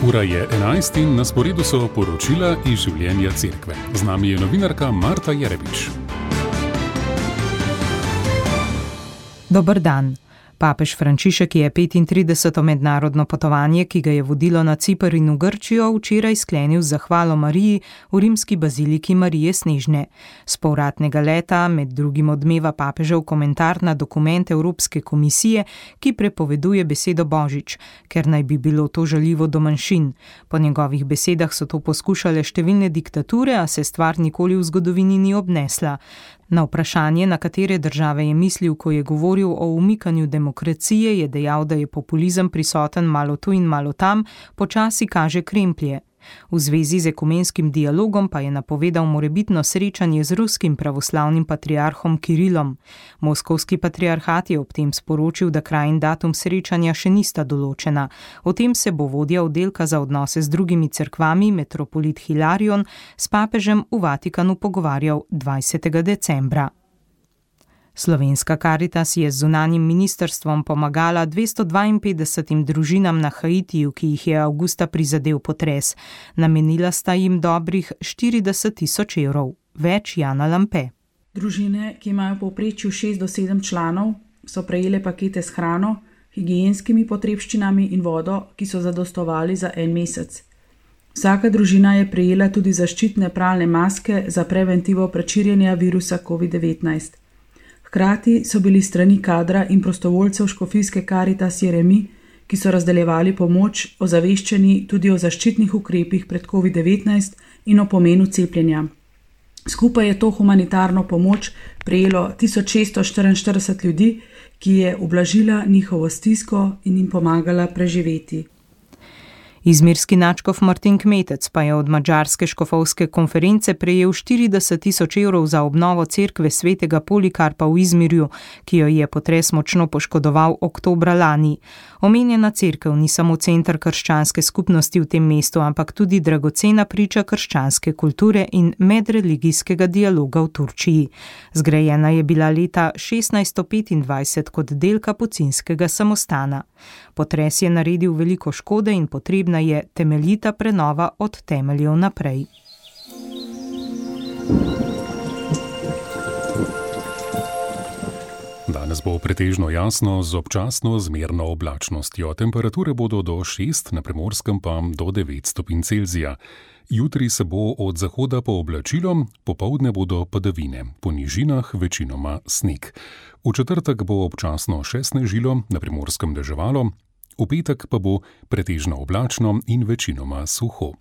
Ura je 11 in na sporedu so poročila iz življenja cerkve. Z nami je novinarka Marta Jerebič. Dober dan. Papež Frančišek je 35. mednarodno potovanje, ki ga je vodilo na Ciper in v Grčijo, včeraj sklenil z zahvalo Mariji v rimski baziliki Marije Snežne. S povratnega leta med drugim odmeva papežev komentar na dokument Evropske komisije, ki prepoveduje besedo božič, ker naj bi bilo to žaljivo do manjšin. Po njegovih besedah so to poskušale številne diktature, a se stvar nikoli v zgodovini ni obnesla. Na vprašanje, na katere države je mislil, ko je govoril o umikanju demokracije, je dejal, da je populizem prisoten malo tu in malo tam, počasi kaže kremplje. V zvezi z ekumenskim dialogom pa je napovedal morebitno srečanje z ruskim pravoslavnim patriarhom Kirilom. Moskovski patriarhat je ob tem sporočil, da kraj in datum srečanja še nista določena. O tem se bo vodja oddelka za odnose z drugimi cerkvami, metropolit Hilarion, s papežem v Vatikanu pogovarjal 20. decembra. Slovenska Karitas je z zunanjim ministrstvom pomagala 252 družinam na Haitiju, ki jih je avgusta prizadel potres. Namenila sta jim dobrih 40.000 evrov. Več Jana Lampe. Družine, ki imajo v povprečju 6 do 7 članov, so prejele pakete s hrano, higienskimi potrebščinami in vodo, ki so zadostovali za en mesec. Vsaka družina je prejela tudi zaščitne pralne maske za preventivo pred širjenja virusa COVID-19. Hkrati so bili strani kadra in prostovoljcev škofijske Karitas Jeremi, ki so razdeljevali pomoč, ozaveščeni tudi o zaščitnih ukrepih pred COVID-19 in o pomenu cepljenja. Skupaj je to humanitarno pomoč prejelo 1644 ljudi, ki je ublažila njihovo stisko in jim pomagala preživeti. Izmirski nadškof Martin Kmetec pa je od madžarske škofovske konference prejel 40.000 evrov za obnovo cerkve svetega Polikarpa v Izmirju, ki jo je potres močno poškodoval oktobra lani. Omenjena cerkev ni samo center krščanske skupnosti v tem mestu, ampak tudi dragocena priča krščanske kulture in medreligijskega dialoga v Turčiji. Zgrajena je bila leta 1625 kot del kapucinskega samostana. Potres je naredil veliko škode in potrebna je temeljita prenova od temeljev naprej. Danes bo pretežno jasno z občasno zmerno oblačnostjo. Temperature bodo do 6, na Primorskem pa do 9 stopinj Celzija. Jutri se bo od zahoda pooblačilo, popoldne bodo padavine, po nižinah večinoma sneg. V četrtek bo občasno še snežilo, na Primorskem deževalo, v petek pa bo pretežno oblačno in večinoma suho.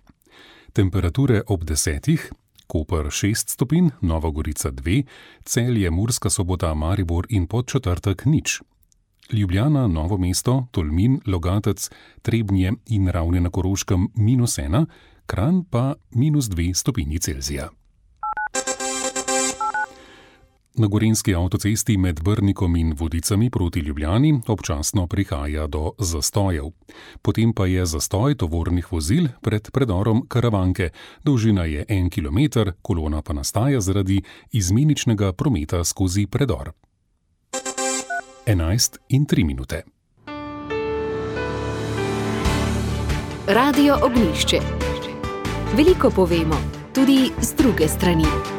Temperature ob 10, Koper 6 stopinj, Nova Gorica 2, Celje, Murska Sobota, Maribor in Podčetrtek 0. Ljubljana, Novo mesto, Tolmin, Logatec, Trebnje in Ravne na Koroškem -1, Kranj pa -2 stopinji Celzija. Na gorenjski avtocesti med Brnikom in Vodicami proti Ljubljani občasno prihaja do zastojev. Potem pa je zastoj tovornih vozil pred predorom Karavanke. Dolžina je 1 kilometer, kolona pa nastaja zaradi izmeničnega prometa skozi predor. 11:03. Radio Ognjišče. Veliko povemo, tudi z druge strani.